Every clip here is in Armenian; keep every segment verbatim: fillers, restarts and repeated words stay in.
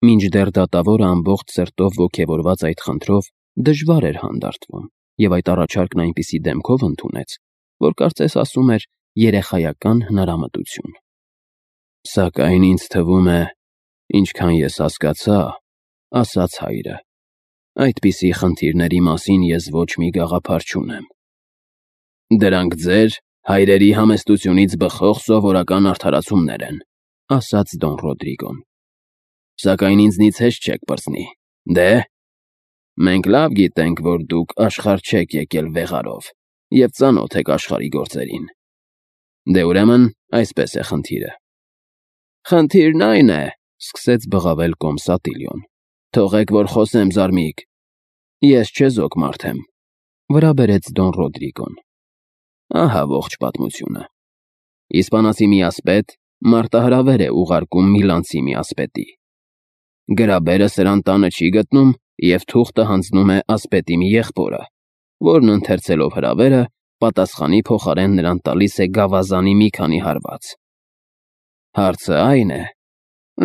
Մինչդեռ դատավորը ամբողջ սրտով ոգևորված այդ խնդրով դժվար էր հանդարտվում, և այդ առաջարկն այնպիսի դեմքով ընդունեց, որ կարծես ասում էր երեխայական հնարամտություն։ «Սակայն ինձ թվում է, ինչքան ես հասկացա, — ասաց հայրը, — այդպիսի խնդիրների մասին ես ոչ մի գաղափար չունեմ»։ «Դրանք ձեր՝ հայրերի համեստությունից բխող սովորական արդարացումներ են», — ասաց Դոն Ռոդրիգոն։ «Սակայն ինձնից հեշտ չեք պրծնի, դե՞։ Մենք լավ գիտենք, որ դուք աշխարհ չեք եկել վեղարով և ծանոթ եք աշխարհի գործերին։ Դե, ուրեմն, այսպես է խնդիրը»։ «Խնդիրն այն է,— սկսեց բղավել կոմս Ատիլիոն,— թողեք, որ խոսեմ, զարմիկ, ես չեզոք մարդ եմ,— վրա բերեց Դոն Ռոդրիգոն։ «Ահա ողջ պատմությունը. իսպանացի մի ասպետ մարտահրավեր է ուղարկում միլանցի մի ասպետի։ Գրաբերը սրան տանը չի գտնում և թուղթը հանձնում է ասպետի մի եղբորը, որն ընթերցելով հրավերը, պատասխանի փոխարեն նրան տալիս է գավազանի մի քանի հարված։ Հարցը այն է…»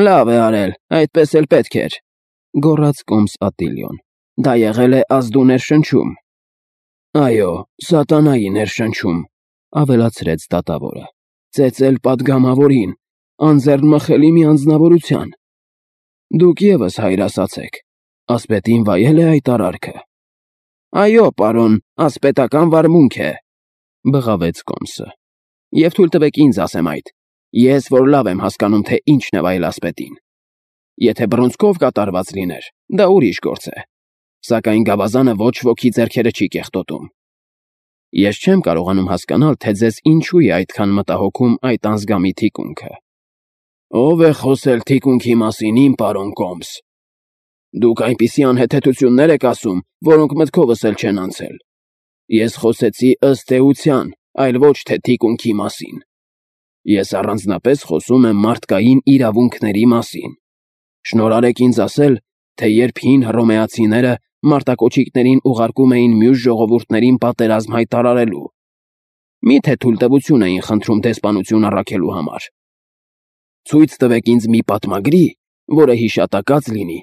«Լավ է արել, այդպես էլ պետք էր,֊ գոռաց կոմս Ատիլիոն,֊ դա եղել է ազդու ներշնչում»։ «Այո, սատանայի ներշնչում,֊ ավելացրեց դատավորը,֊ ծեծել պատգամավորին, անձեռնմխելի մի անձնավորության։ Դուք ևս հայր ասացեք, ասպետին վայել է այդ արարքը»։ «Այո, պարոն, ասպետական վարմունք է,֊ բղավեց կոմսը,֊ և թույլ տվեք ինձ ասեմ այդ, ես, որ լավ եմ հասկանում, թե ինչն է վայել ասպետին։ Եթե բռունցքով կատարված լիներ, դա ուրիշ գործ է, սակայն գավազանը ոչ ոքի ձեռքերը չի կեղտոտում։ Ես չեմ կարողանում հասկանալ, թե ձեզ ինչու է այդքան մտահոգում այդ անզգամի թիկունքը»։ «Ո՞վ է խոսել թիկունքի մասին, իմ պարոն կոմս։ Դուք այնպիսի անհեթեթություններ եք ասում, որոնք մտքովս էլ չեն անցել։ Ես խոսեցի ըստ էության, այլ ոչ թե թիկունքի մասին։ Ես առանձնապես խոսում եմ մարդկային իրավունքների մասին։ Շնորհարեք ինձ ասել, թե երբ հին հռոմեացիները մարտակոչիկներին ուղարկում էին մյուս ժողովուրդներին պատերազմ հայտարարելու, մի՞թե թույլտվություն էին խնդրում դեսպանություն առաքելու համար։ Ցույց տվեք ինձ մի պատմագրի, որը հիշատակած լինի,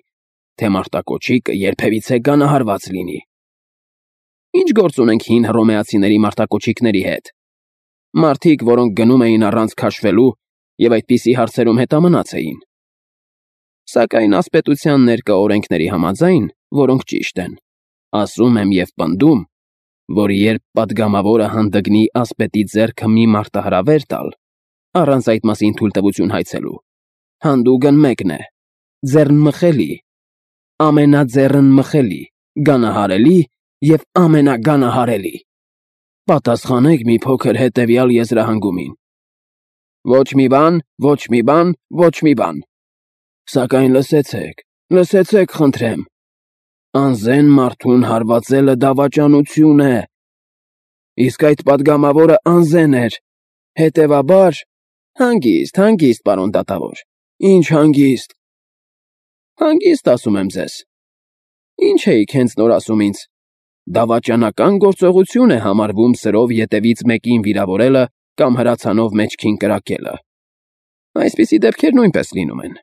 թե մարտակոչիկը երբևիցե գանահարված լինի։ Ինչ գործ ունենք հին հռոմեացիների մարտակոչիկների հետ։ Մարդիկ, որոնք գնում էին առանց քաշվելու և այդպիսի հարցերում հետամնաց էին։ Սակայն ասպետության ներկա օրենքների համաձայն, որոնք ճիշտ են, ասում եմ և պնդում, որ երբ պատգամավորը հանդգնի ասպետի ձեռքը մի մարտահրավեր տալ, առանց այդ մասին թույլտվություն հայցելու, հանդուգն մեկն է՝ ձեռնմխելի, ամենաձեռնմխելի, գանահարելի և ամենագանահարելի։ Պատասխանեք մի փոքր հետևյալ եզրահանգումին. ոչ մի բան, ոչ մի բան, ոչ մի բան։ Սակայն լսեցեք, լսեցեք, խնդրեմ. անզեն մարդուն հարվածելը դավաճանություն է։ Իսկ այդ պատգամավորը անզեն էր, հետևաբար… Հանգիստ, հանգիստ, պարոն դատավոր, ինչ հանգիստ։ Հանգիստ, ասում եմ ձեզ։ Ինչ էիք հենց նոր ասում ինձ. դավաճանական գործողություն է համարվում սրով ետևից մեկին վիրավորելը կամ հրացանով մեջքին կրակելը։ Այսպիսի դեպքեր նույնպես լինում են։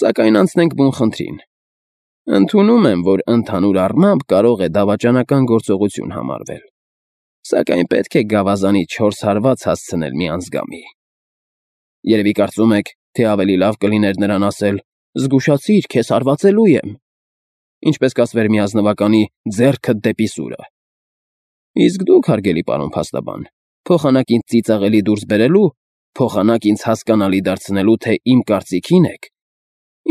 Սակայն անցնենք բուն խնդրին։ Ընդունում եմ, որ ընդհանուր առմամբ կարող է դավաճանական գործողություն համարվել, սակայն պետք է գավազանի չորս հարված հասցնել մի անզգամի։ Երևի կարծում եք, թե ավելի լավ կլիներ նրան ասել. «Զգուշացիր, քեզ հարվածելու եմ», ինչպես կասվեր մի ազնվականի «ձեռքդ դեպի սուրը»։ Իսկ դուք, հարգելի պարոն փաստաբան, փոխանակ ինձ ծիծաղելի դուրս բերելու, փոխանակ ինձ հասկանալի դարձնելու, թե իմ կարծիքին եք,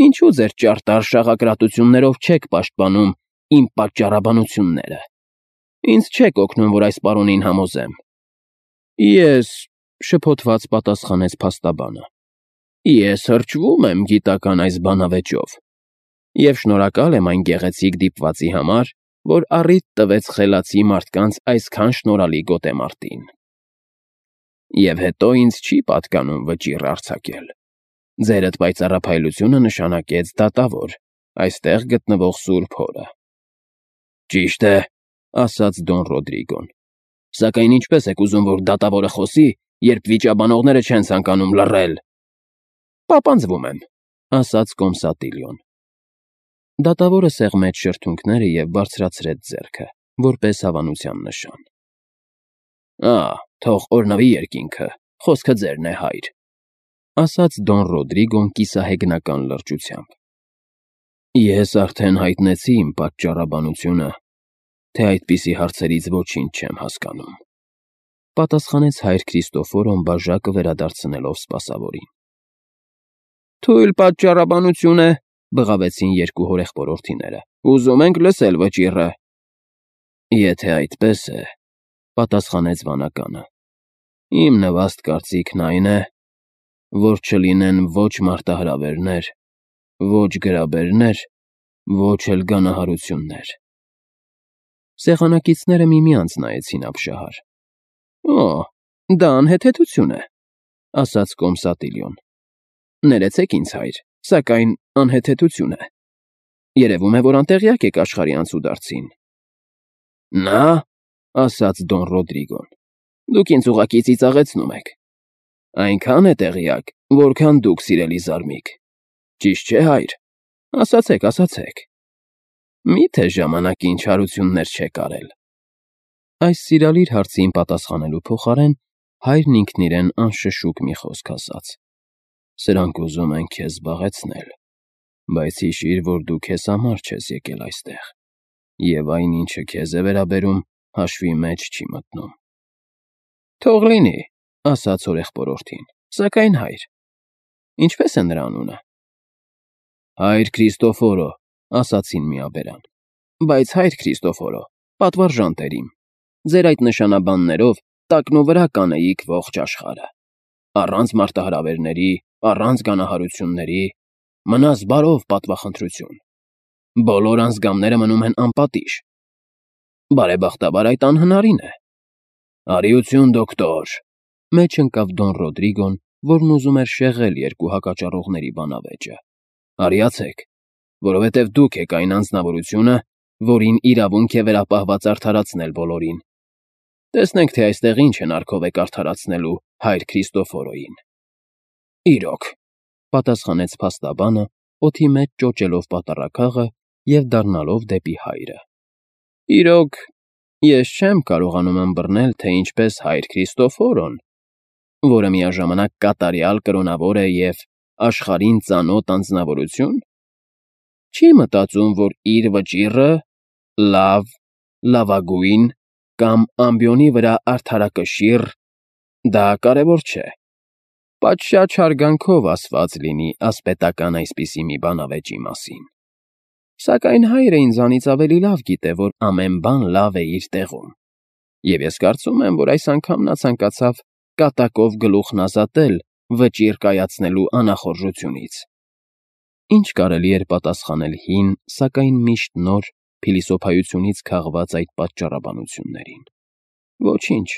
ինչու ձեր ճարտար շաղակրատություններով չեք պաշտպանում իմ պատճառաբանությունները։ Ինձ չեք օգնում, որ այս պարոնին համոզեմ։ Ես…֊ շփոթված պատասխանեց փաստաբանը, ես հրճվում եմ գիտական այս բանավեճով և շնորհակալ եմ այն գեղեցիկ դիպվածի համար, որ առիթ տվեց խելացի մարդկանց այսքան շնորհալի գոտեմարտին։ Եվ հետո ինձ չի պատկանում վճիռ արձակել։ Ձերդ պայծառափայլությունը նշանակեց դատավոր, այստեղ գտնվող սուրբ հորը։ Ճիշտ է, ասաց Դոն Ռոդրիգոն, սակայն ինչպես եք ուզում, որ դատավորը խոսի, երբ վիճաբանողները չեն ցանկանում լռել։ Պապանձվում եմ, ասաց Կոմսատիլիոն։ Դատավորը սեղմեց շրթունքները և բարձրացրեց ձեռքը, որպես հավանության նշան։ Ա՛, թող օրհնվի երկինքը, խոսքը ձերն է, հայր, ասաց Դոն Ռոդրիգոն կիսահեգնական լրջությամբ։ Ես արդեն հայտնեցի իմ պատճառաբանությունը, թե այդպիսի հարցերից ոչինչ չեմ հասկանում, պատասխանեց հայր Քրիստոֆորոն բաժակը վերադարձնելով սպասավորին։ Թույլ պատճառաբանություն է, բղավեցին երկու հորեղբորորդիները, ուզում ենք լսել վճիռը։ Եթե այդպես է, պատասխանեց վանականը, իմ նվաստ կարծիքն այն է, որ չլինեն ոչ մարտահրավերներ, ոչ գրաբերներ, ոչ էլ գանահարություններ։ Սեղանակիցները միմյանց նայեցին ապշահար։ Օ, դա անհեթեթություն է, ասաց Կոմսատիլիոն։ Ներեցեք ինձ, հայր, սակայն անհեթեթություն է։ Երևում է, որ անտեղյակ եք աշխարհի անցուդարձին։ Նա, ասաց Դոն Ռոդրիգոն, դուք ինձ ուղղակի ծիծաղեցնում եք։ Այնքան է տեղյակ, որքան դուք, սիրելի զարմիկ։ Ճիշտ չէ, հայր, ասացեք, ասացեք։ Մի՞թե ժամանակին չարություններ չեք արել։ Այս սիրալիր հարցին պատասխանելու փոխարեն հայրն ինքն իրեն անշշուկ մի խոսք ասաց. Սրանք ուզում են քեզ զբաղեցնել, բայց հիշիր, որ դու քեզ համար չես եկել այստեղ, և այն, ինչը քեզ է վերաբերում, հաշվի մեջ չի մտնում։ Թող լինի, ասաց հորեղբորորդին, սակայն հայր, ինչպե՞ս է նրա անունը։ Հայր Քրիստոֆորո, ասացին միաբերան, բայց հայր Քրիստոֆորո, պատվարժան տերիմ, ձեր այդ նշանաբաններով տակնուվրա կանեիք ողջ աշխարհը, առանց մարտահրավերների, առանց գանահարությունների, մնաս բարով պատվախնդրություն։ Բոլոր անձգամները մնում են անպատիժ։ Բարեբախտաբար այդ անհնարին է։ Արիություն, դոկտոր, մեջ ընկավ Դոն Ռոդրիգոն, որն ուզում էր շեղել երկու հակաճառողների բանավեճը։ Արիացեք, որովհետև դուք եք այն անձնավորությունը, որին իրավունք է վերապահված արդարացնել բոլորին։ Տեսնենք, թե այստեղ ինչ հնարքով եք արդարացնելու հայր Քրիստոֆորոյին։ Իրոք, պատասխանեց փաստաբանը, օդի մեջ ճոճելով պատառաքաղը և դառնալով դեպի հայրը։ Իրոք, ես չեմ կարողանում ըմբռնել, թե ինչպես հայր Քրիստոֆորոն, որը միաժամանակ կատարյալ կրոնավոր է և աշխարհին ծանոթ անձնավորություն, չի մտածում, որ իր վճիռը լավ, լավագույն կամ ամբիոնի վրա արդարակշիռ, դա կարևոր չէ։ Պատշաճ հարգանքով ասված լինի ասպետական այսպիսի մի բանավեճի մասին։ Սակայն հայրը ինձանից ավելի լավ գիտե, որ ամեն բան լավ է իր տեղում, և ես կարծում եմ, որ այս անգամ նա ցանկացավ կատակով գլուխն ազատել վճիռ կայացնելու անախորժությունից։ Ինչ կարելի էր պատասխանել հին, սակայն միշտ նոր փիլիսոփայությունից քաղված այդ պատճառաբանություններին։ Ոչինչ,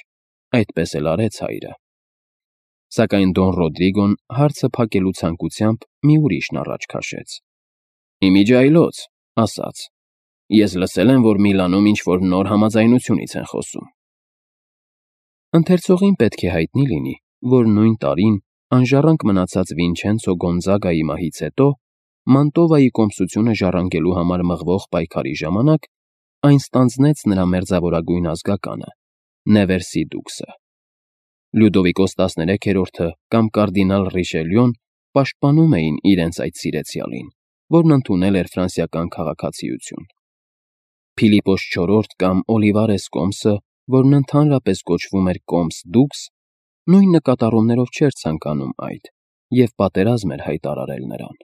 այդպես էլ արեց հայրը։ Սակայն Դոն Ռոդրիգոն հարցը փակելու ցանկությամբ մի ուրիշն առաջ քաշեց։ Իմիջիայլոց, ասաց, ես լսել եմ, որ Միլանում ինչ-որ նոր համաձայնությունից են խոսում։ Ընթերցողին պետք է հայտնի լինի, որ նույն տարին անժառանգ մնացած Վինչենցո Գոնզագայի մահից հետո Մանտովայի կոմսությունը ժառանգելու համար մղվող պայքարի ժամանակ այն ստանձնեց նրա մերձավորագույն ազգականը՝ Նևերսի դուքսը։ Լյուդովիկոս տասներեքերորդը կամ կարդինալ Ռիշելյոն պաշտպանում էին իրենց այդ սիրեցյալին, որն ընդունել էր ֆրանսիական քաղաքացիություն։ Փիլիպոս չորրորդ կամ Օլիվարես Կոմսը, որն ընդհանրապես կոչվում էր Կոմս դուքս, նույն նկատառումներով չէր ցանկանում այդ և պատերազմ էր հայտարարել նրան։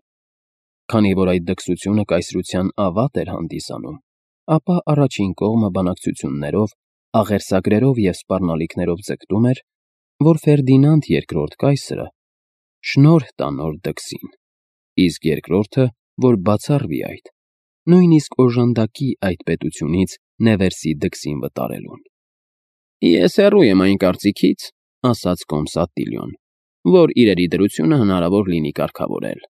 Քանի որ այդ դքսությունը կայսրության ավատ էր հանդիսանում, ապա առաջին կողմը բանակցություններով, աղերսագրերով և սպառնալիքներով ձգտում էր, որ Ֆերդինանդ երկրորդ կայսրը շնորհ տա նոր դքսին, իսկ երկրորդը, որ բացառվի այդ, նույնիսկ օժանդակի այդ պետությունից Նևերսի դքսին վտարելուն։ Ես հեռու եմ այն կարծիքից, ասաց Կոմսատիլիոն, որ իրերի դրությունը հնարավոր լինի կարգավորել։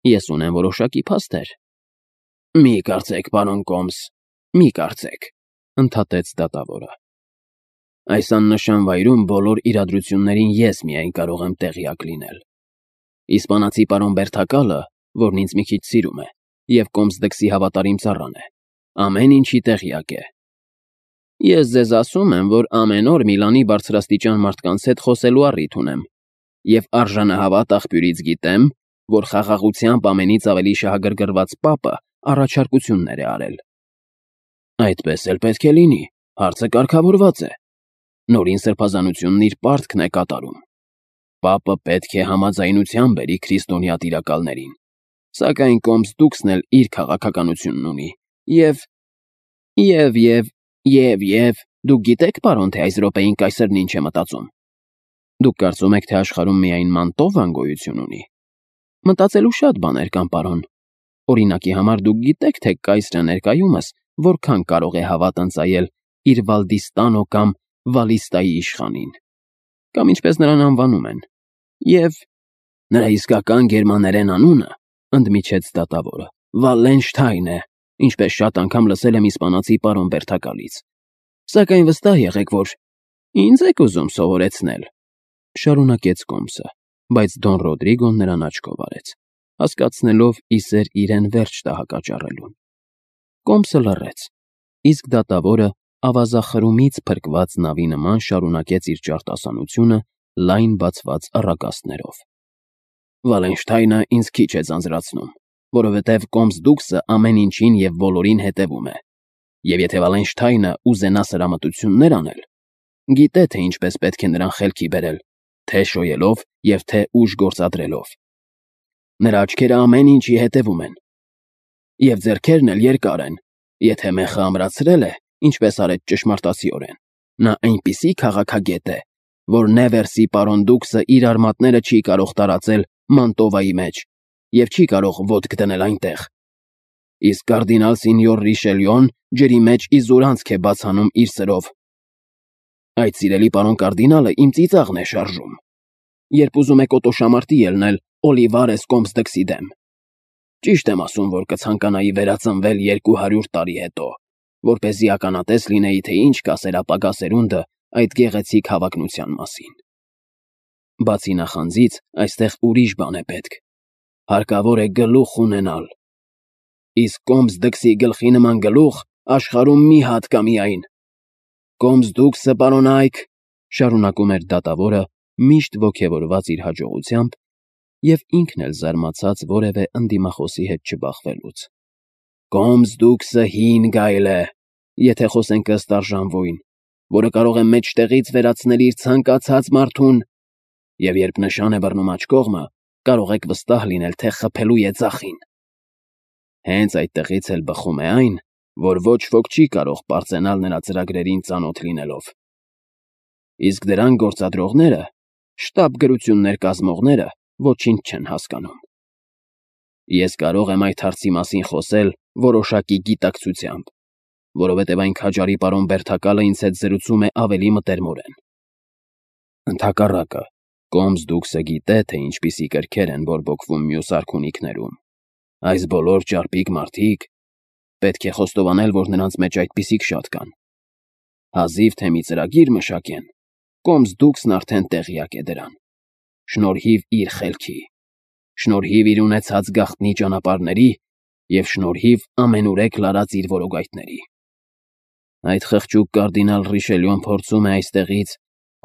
Ես ունեմ որոշակի փաստեր։ Մի կարծեք, պարոն Կոմս, մի կարծեք, ընդհատեց դատավորը։ Այս աննշան վայրում բոլոր իրադրություններին ես միայն կարող եմ տեղյակ լինել։ Իսպանացի պարոն Բերթակալը որն ինձ մի քիչ սիրում է, և Կոմսդքսի հավատարիմ ծառան է, ամեն ինչի տեղյակ է։ Ես ձեզ ասում եմ, որ ամեն օր Միլանի բարձրաստիճան մարդկանց հետ խոսելու առիթ ունեմ, և արժանահավատ աղբյուրից գիտեմ, որ խաղաղությամբ ամենից ավելի շահագրգռված պապը առաջարկություններ է արել։ Այդպես էլ պետք է լինի, հարցը կարգավորված է։ Նորին սրբազանությունն իր պարտքն է կատարում։ Պապը պետք է համաձայնության բերի քրիստոնյա տիրակալներին, սակայն Կոմսդուքսն էլ իր քաղաքականությունն ունի, և… և… և… և… և… դուք գիտեք, պարոն, թե այս րոպեին կայսրն ինչ է մտածում։ Դուք կարծում եք, թե աշխարհում միայն Մանտովան գոյություն ունի։ Մտածելու շատ բաներ կան, պարոն։ Օրինակի համար դուք գիտեք, թե կայսրը ներկայումս որքան կարող է հավատ ընծայել իր Վալդիստանո կամ Վալիստայի իշխանին, կամ ինչպես նրան անվանում են, և… նրա իսկական գերմաներեն անունը, ընդմիջեց դատավորը, Վալենշթայն է, ինչպես շատ անգամ լսել եմ իսպանացի պարոն Բերթակալից։ Սակայն վստահ եղեք, որ… ինձ եք ուզում սովորեցնել, շարունակեց Կոմսը, բայց Դոն Ռոդրիգոն նրան աչքով արեց, հասկացնելով իսեր իրեն վերջ տահակաճառելուն։ Կոմսը լռեց, իսկ դատավորը ավազախրումից փրկված նավի նման շարունակեց իր ճարտասանությունը լայն բացված առագաստներով։ Վալենշթայնը ինձ քիչ է ձանձրացնում, որովհետև Կոմսդուքսը ամեն ինչին և բոլորին հետևում է, և եթե Վալենշթայնը ուզենա սրամտություններ անել, գիտե, թե ինչպես պետք է նրան խելքի բերել, թե շոյելով և թե ուժ գործադրելով։ Նրա աչքերը ամեն ինչի հետևում են, և ձեռքերն էլ երկար են, եթե մեխը ամրացրել է, ինչպես արեց ճշմարտացիորեն, նա այնպիսի քաղաքագետ է, որ Նևերսի պարոն Դուքսը իր արմատները չի կարող տարածել Մանտովայի մեջ և չի կարող ոտք դնել այնտեղ, իսկ կարդինալ Սինյոր Ռիշելյոն ջրի մեջ իզուր անցք է բաց անում իր սրով։ Այդ սիրելի պարոն կարդինալը իմ ծիծաղն է շարժում, երբ ուզում է կոտոշամարտի ելնել Օլիվարես Կոմսդքսի դեմ։ Ճիշտ եմ ասում, որ կցանկանայի վերածնվել երկու հարյուր տարի հետո, որպեսզի ականատես լինեի, թե ինչ կասեր ապագա սերունդը այդ գեղեցիկ հավակնության մասին։ Բացի նախանձից, այստեղ ուրիշ բան է պետք։ Հարկավոր է գլուխ ունենալ։ Իսկ Կոմսդքսի գլխի նման գլուխ աշխարհում մի հատ կա միայն։ Կոմսդուքսը, պարոն Այք, շարունակում էր դատավորը, միշտ ոգևորված իր հաջողությամբ և ինքն էլ զարմացած որևէ ընդդիմախոսի հետ չբախվելուց։ Կոմսդուքսը հին գայլ է, եթե խոսենք ըստ արժանվույն, որը կարող է մեջտեղից վերացնել իր ցանկացած մարդուն, և երբ նշան է բռնում աջ կողմը, կարող եք վստահ լինել, թե խփելու է ձախին։ Հենց այդտեղից էլ բխում է այն, որ ոչ ոք չի կարող պարծենալ նրա ծրագրերին ծանոթ լինելով։ Իսկ դրան գործադրողները, շտապ գրություններ կազմողները ոչինչ չեն հասկանում։ Ես կարող եմ այդ հարցի մասին խոսել որոշակի գիտակցությամբ, որովհետև այն քաջարի պարոն Բերթակալը ինձ հետ զրուցում է ավելի մտերմորեն։ Ընդհակառակը, Կոմսդուքսը գիտե, թե ինչպիսի կրքեր են բորբոքվում մյուս արքունիքներում։ Այս բոլոր ճարպիկ մարդիկ… պետք է խոստովանել, որ նրանց մեջ այդպիսիք շատ կան։ Հազիվ թե մի ծրագիր մշակեն, Կոմսդուքսն արդեն տեղյակ է դրան։ Շնորհիվ իր խելքի, շնորհիվ իր ունեցած գաղտնի ճանապարհների և շնորհիվ ամենուրեք լարած իր որոգայթների։ Այդ խղճուկ կարդինալ Ռիշելյոն փորձում է այստեղից,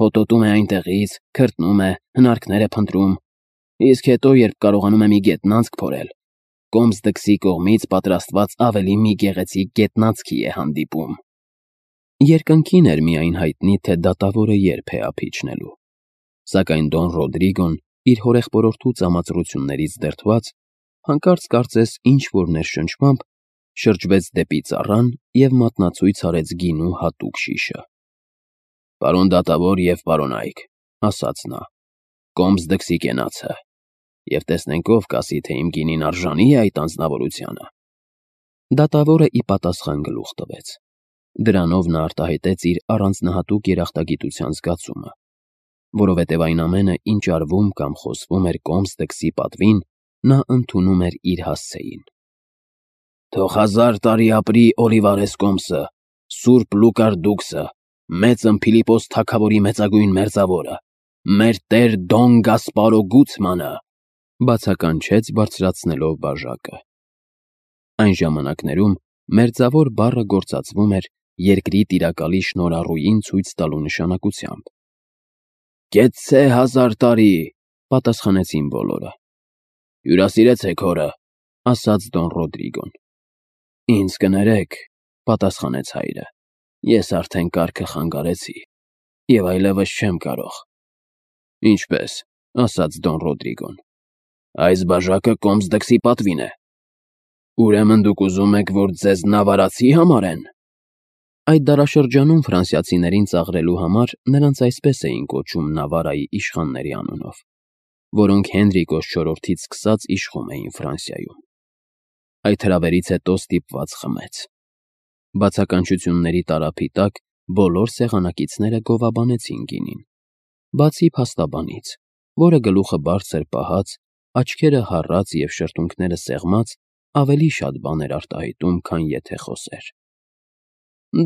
հոտոտում է այնտեղից, քրտնում է, հնարքներ է փնտրում, իսկ հետո, երբ կարողանում է մի գետնանցք փորել, Կոմսդքսի կողմից պատրաստված ավելի մի գեղեցիկ գետնանցքի է հանդիպում։ Երկնքին էր միայն հայտնի, թե դատավորը երբ է ափ իջնելու, սակայն Դոն Ռոդրիգոն իր հորեղբորորդու ծամածրություններից դրդված, հանկարծ կարծես ինչ-որ ներշնչմամբ շրջվեց դեպի ծառան և մատնացույց արեց գինու հատուկ շիշը։ Պարոն դատավոր և պարոն Այք, ասաց նա, Կոմսդքսի կենացը, և տեսնենք ով կասի, թե իմ գինին արժանի է այդ անձնավորությանը։ Դատավորը ի պատասխան գլուխ տվեց։ Դրանով նա արտահայտեց իր առանձնահատուկ երախտագիտության զգացումը, որովհետև այն ամենը, ինչ արվում կամ խոսվում էր Կոմսդքսի պատվին, նա ընդունում էր իր հասցեին։ Թող հազար տարի ապրի Օլիվարես Կոմսը, Սուրբ Լուկար Դուքսը, մեծն Փիլիպոս թագավորի մեծագույն մերձավորը, մեր տեր Դոն Գասպարո Գուցմանը, Բացականչեց բարձրացնելով բաժակը։ Այն ժամանակներում մերձավոր բառը գործածվում էր երկրի տիրակալի շնորհառուին ցույց տալու նշանակությամբ։ «Կեցցե հազար տարի», պատասխանեցին բոլորը։ «Հյուրասիրեցեք հորը», ասաց Դոն Ռոդրիգոն։ «Ինձ կներեք», պատասխանեց հայրը, «ես արդեն կարգը խանգարեցի և այլևս չեմ կարող»։ «Ինչպե՞ս», ասաց Դոն Ռոդրիգոն։ «Այս բաժակը կոմսդքսի պատվին է։ Ուրեմն դուք ուզում եք, որ ձեզ նավարացի համարեն»։ Այդ դարաշրջանում ֆրանսիացիներին ծաղրելու համար նրանց այսպես էին կոչում Նավարայի իշխանների անունով, որոնք Հենրիկոս չորրորդից սկսած իշխում էին Ֆրանսիայում։ Այդ հրավերից հետո ստիպված խմեց։ Բացականչությունների տարափի տակ բոլոր սեղանակիցները գովաբանեցին գինին, բացի փաստաբանից, որը գլուխը բարձր պահած, աչքերը հառած և շրթունքները սեղմած ավելի շատ բան էր արտահայտում, քան եթե խոսեր։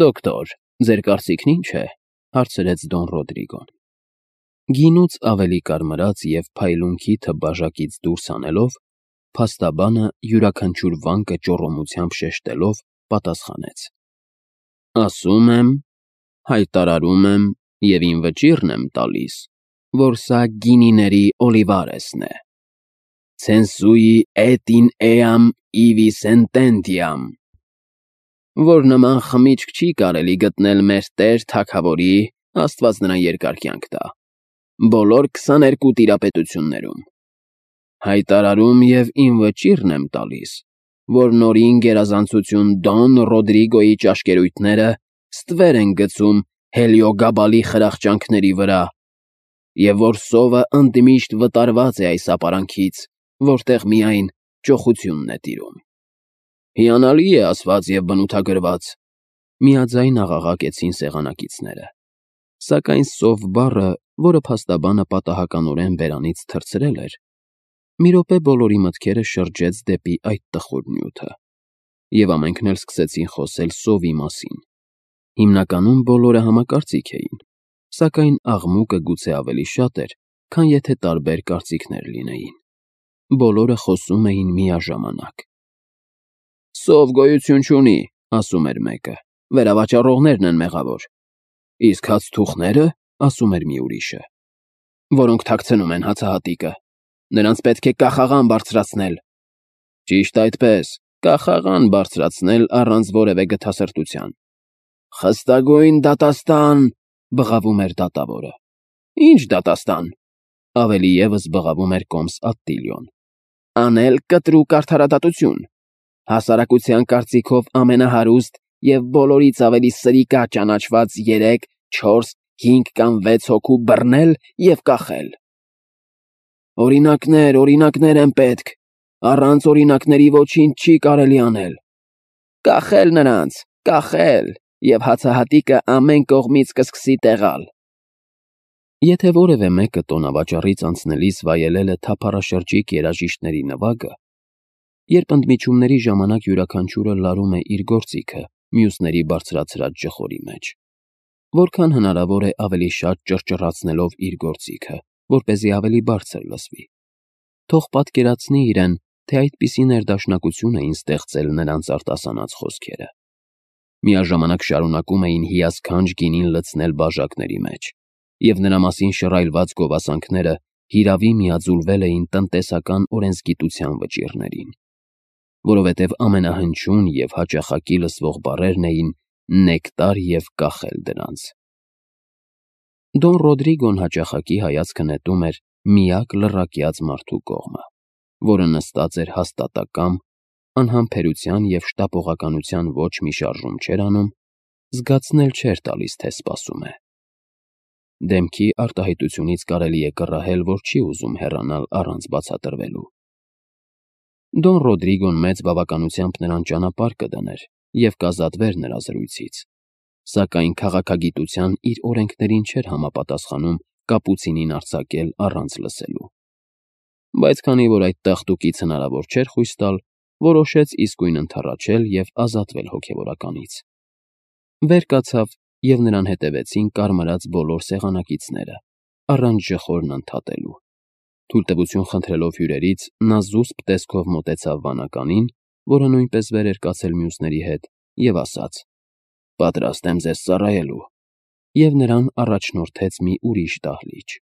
«Դոկտոր, ձեր կարծիքն ի՞նչ է», հարցրեց Դոն Ռոդրիգոն։ Գինուց ավելի կարմրած և փայլուն քիթը բաժակից դուրս հանելով, փաստաբանը յուրաքանչյուր վանկը ճոռոմությամբ շեշտելով պատասխանեց. «Ասում եմ, հայտարարում եմ և իմ վճիռն եմ տալիս, որ սա գինիների Օլիվարեսն է, ցենսուի էտ ին էամ իվի սենտենտիամ, որ նման խմիչք չի կարելի գտնել մեր տեր թագավորի, աստված նրան երկար կյանք տա, բոլոր քսաներկու տիրապետություններում։ Հայտարարում և իմ վճիռն եմ տալիս, որ նորին գերազանցություն Դոն Ռոդրիգոյի ճաշկերույթները ստվեր են գցում Հելիոգաբալի խրախճանքների վրա, և որ սովը ընդմիշտ վտարված է այս ապարանքից, որտեղ միայն ճոխությունն է տիրում։ Հիանալի է ասված և բնութագրված», միաձայն աղաղակեցին սեղանակիցները, սակայն սով բառը, որը փաստաբանը պատահականորեն բերանից թռցրել էր, մի րոպե բոլորի մտքերը շրջեց դեպի այդ տխուր նյութը, և ամենքն էլ սկսեցին խոսել սովի մասին։ Հիմնականում բոլորը համակարծիք էին, սակայն աղմուկը գուցե ավելի շատ էր, քան եթե տարբեր կարծիքներ լինեին։ Բոլորը խոսում էին միաժամանակ։ «Սով գոյություն չունի», ասում էր մեկը, «վերավաճառողներն են մեղավոր»։ «Իսկ հացթուխնե՞րը», ասում էր մի ուրիշը, «որոնք թաքցնում են հացահատիկը, նրանց պետք է կախաղան բարձրացնել»։ «Ճիշտ այդպես, կախաղան բարձրացնել առանց որևէ գթասրտության»։ «Խստագույն դատաստան», բղավում էր դատավորը։ «Ի՞նչ դատաստան», ավելի ևս բղավում էր կոմս Ատտիլիոն։ «Անել կտրուկ արդարադատություն, հասարակության կարծիքով ամենահարուստ և բոլորից ավելի սրիկա ճանաչված երեք, չորս, հինգ կամ վեց հոգու բռնել և կախել»։ «Օրինակներ, օրինակներ են պետք, առանց օրինակների ոչինչ չի կարելի անել»։ «Կախել նրանց, կախել, և հացահատիկը ամեն կողմից կսկսի տեղալ»։ Եթե որևէ մեկը տոնավաճառից անցնելիս վայելել է թափառաշրջիկ երաժիշտների նվագը, երբ ընդմիջումների ժամանակ յուրաքանչյուրը լարում է իր գործիքը մյուսների բարձրացրած ջխորի մեջ, որքան հնարավոր է ավելի շատ ճռճռացնելով իր գործիքը, որպեսզի ավելի բարձր լսվի, թող պատկերացնի իրեն, թե այդպիսի ներդաշնակություն էին ստեղծել նրանց արտասանած խոսքերը։ Միաժամանակ շարունակում էին հիասքանչ գինին լցնել բաժակների մեջ, և նրա մասին շռայլված գովասանքները հիրավի միաձուլվել էին տնտեսական օրենսգիտության վճիռներին, որովհետև ամենահնչյուն և հաճախակի լսվող բառերն էին նեկտար և կախել դրանց։ Դոն Ռոդրիգոն հաճախակի հայացքը նետում էր միակ լռակյաց մարդու կողմը, որը նստած էր հաստատակամ, անհամբերության և շտապողականության ոչ մի շարժում չէր անում, զգացնել չէր տալիս, թե սպասում է։ Դեմքի արտահայտությունից կարելի է կռահել, որ չի ուզում հեռանալ առանց բացատրվելու։ Դոն Ռոդրիգոն մեծ բավականությամբ նրան ճանապարհ կդներ և կազատվեր նրա զրույցից, սակայն քաղաքագիտության իր օրենքներին չէր համապատասխանում կապուցինին արձակել առանց լսելու։ Բայց քանի որ այդ տաղտուկից հնարավոր չէր խույս տալ, որոշեց իսկույն ընդառաջել և ազատվել հոգևորականից։ Վեր կացավ, և նրան հետևեցին կարմրած բոլոր սեղանակիցները, առանց ջխորն ընդհատելու։ Թույլտվություն խնդրելով հյուրերից նա զուսպ տեսքով մոտեցավ վանականին, որը նույնպես վեր էր կացել մյուսների հետ, և ասաց. «Պատրաստ եմ ձեզ ծառայելու», և նրան առաջնորդեց մի ուրիշ դահլիճ։